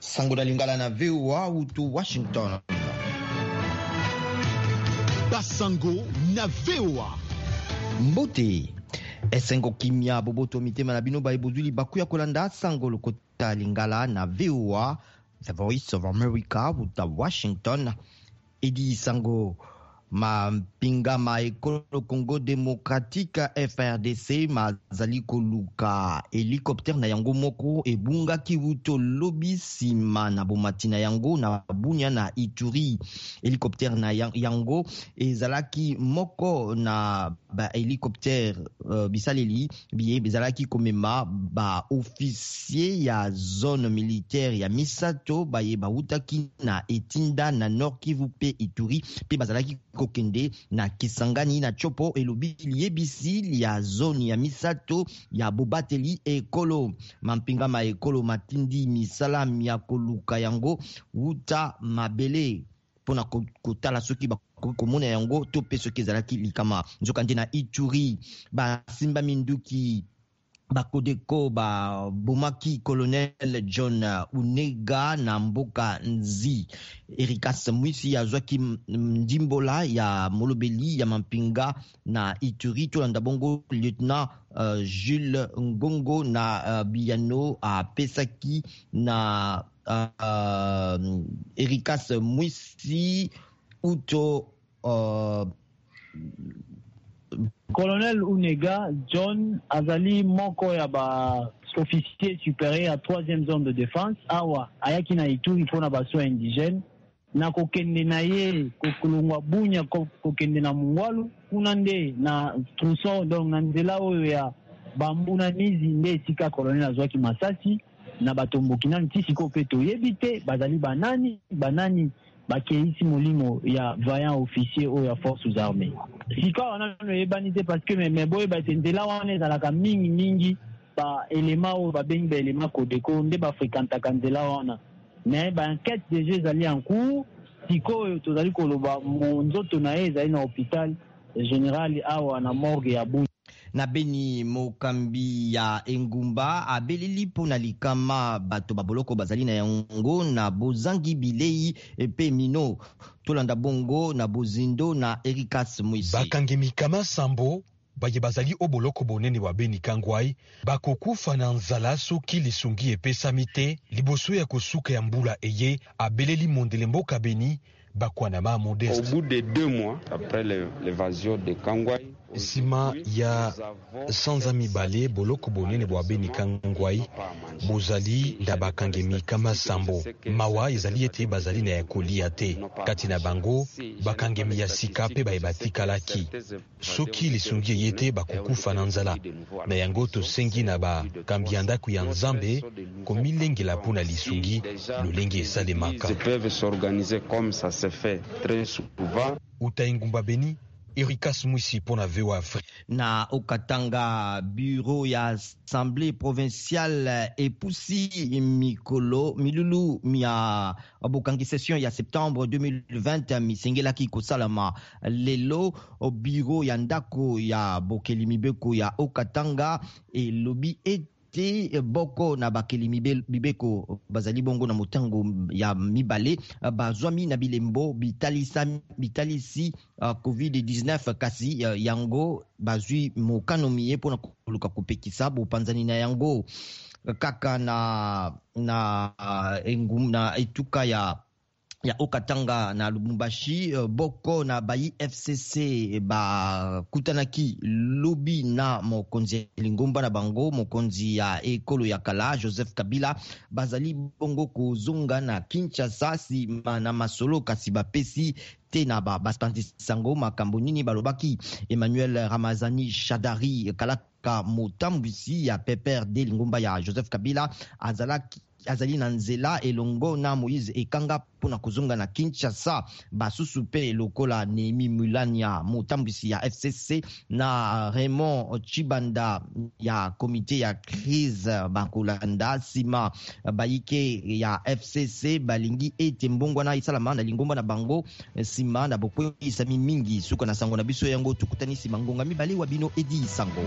Sango na Lingala na VOA utu Washington. Basango na VOA. Mbote esengo kimia boboto mitema na bino baye bozwi libaku ya kolanda sango lokota lingala na VOA The Voice of America uta Washington. Edi Sango mampinga ma ekolo Congo Democratique FRDC mazali koluka helicoptère na yango moko ebungaki wuto lobi nsima na bomati na yango na Bunia na Ituri. Helicoptère na yango ezalaki moko na ba helicoptère uh, bisaleli biye bizalaki komema ba officier ya zone militaire ya misato baye bawutaki na etinda na Nord Kivu mpe Ituri mpe bazalaki kokende na Kisangani na Tshopo, elobi liyebisi ya zone ya misato ya bobateli ekolo. Mampinga ma ekolo matindi misala mya koluka yango wuta mabele mpo na kotala soki bakoki komona yango to mpe soki ezalaki likama. Nzokande na Ituri basimba minduki bakodeko babomaki colonel John Unega na mboka Nzi. Erikas Mwisi azwaki ndimbola ya molobeli ya mampinga na Ituri. Tolanda bongo lieutenant Jules Ngongo na biyano apesaki na Erikas Mwisi uto Colonel Unega John azali moko ya ba officier supérieur ya 3e zone de défense. Awa ayaki na Ituri mpona ba soins indigènes. Na kokende na ye kolongwa Bunia kokende na Mongwalu, kuna nde na tronçon, donc na nzela oyo ya Bambuna Nizi, nde esika colonel azwaki masasi na batomboki. Nani ti sikoyo mpe toyebi te bazali banani, banani bakeisi molimo ya vaillant officier oyo ya forces armées. Sika wana nano eyebani te, parce que me boyeba ete nzela wana ezalaka mingi mingi ba élément oyo babengi ba élément Kodeko nde bafréquentaka nzela wana. Mais ba enquête déjà ezali en cours. Sikoyo tozali koloba, nzoto na ye ezali na hôpital général awa na morgue ya Bunia. Na Beni, mokambi ya engumba abeleli mpo na likama bato baboloko bazali na yango na bozangi bilei mpe mino. Tolanda bongo na bozindo na Erikas Mwisi. Bakangi mikama 7 baye bazali o boloko bonene bwa Beni Kangwai bakokufa na nzala soki lisungi epesami te liboso ya kosuka ya mbula eye, abeleli mondele mboka Beni Bakwanama Modeste. Au bout de 2 mois après l'évasion de Kangwai, Nsima ya sanza 2, boloko bonene bwa Beni Kangwai bozali na bakangemi kama 7. Mawa ezali ete bazali na ya kolia te. Kati na bango bakangemi ya sika mpe baye batikalaki. Soki lisungi eye te, bakokufa na nzala. Na yango tosengi na bakambi ya ndako ya Nzambe komilengela mpo na lisungi lolenge esalemaka. Peuvent s'organiser comme ça se fait très souvent. Uta engumba Beni, Erikas Mwisi mpo na VOA Afrique. Na Haut-Katanga, bureau ya assemblée provinciale epusi mikolo milulu mia bokangi session ya septembre 2020 misengelaki kosalama lelo. Bureau ya ndako ya bokeli mibeko ya Haut-Katanga elobi ete boko na bakeli mibeko bazali bongo na motango ya mibale bazwami na bilembo bitalisi COVID-19, kasi yango bazwi mokano miye mpona koluka kopekisa bopanzani na yango. Kaka na etuka ya Haut-Katanga, na Lubumbashi, boko na bayi FCC bakutanaki lobi na mokonzi ya lingomba na bango, mokonzi ya ekolo ya kala Joseph Kabila. Bazali bongo kozonga na Kinshasa nsima na masolo, kasi bapesi te na bapanzi sango makambo nini balobaki. Emmanuel Ramazani Shadari, kalaka motambwisi ya PPRD, lingomba ya Joseph Kabila, azalaki azali na nzela elongo na Moïse Ekanga mpona kozonga na Kinshasa. Basusu mpe lokola Nehemi Mulania, motambwisi ya FCC, na Raymond Chibanda ya komite ya crise, bakolanda nsima. Bayike ya FCC balingi ete mbongwana esalama na lingomba na bango nsima na bokweyisami mingi. Suka na sango na biso yango. Tokutani nsima ngonga 2. Wa bino Edi Sango.